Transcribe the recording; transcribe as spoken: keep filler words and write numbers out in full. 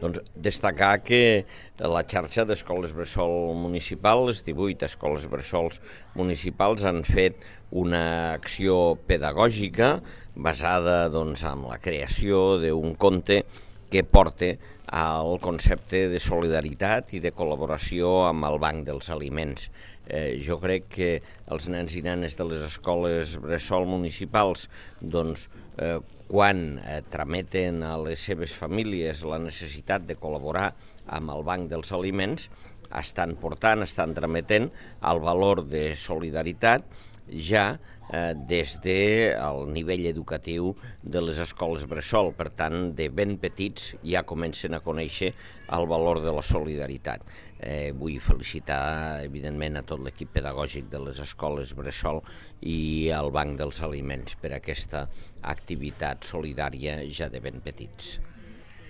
Doncs destacar que la xarxa d'escoles bressol municipal, les divuit escoles bressols municipals, han fet una acció pedagògica basada doncs, en la creació d'un conte que porta al concepte de solidaritat i de col·laboració amb el Banc dels Aliments. Eh, jo crec que els nens i nenes de les escoles bressol municipals doncs, eh, quan eh, trameten a les seves famílies la necessitat de col·laborar amb el Banc dels Aliments, estan portant, estan trametent el valor de solidaritat ja eh, des del nivell educatiu de les escoles bressol. Per tant, de ben petits ja comencen a conèixer el valor de la solidaritat. Eh, vull felicitar, evidentment, a tot l'equip pedagògic de les escoles bressol i al Banc dels Aliments per aquesta activitat solidària ja de ben petits.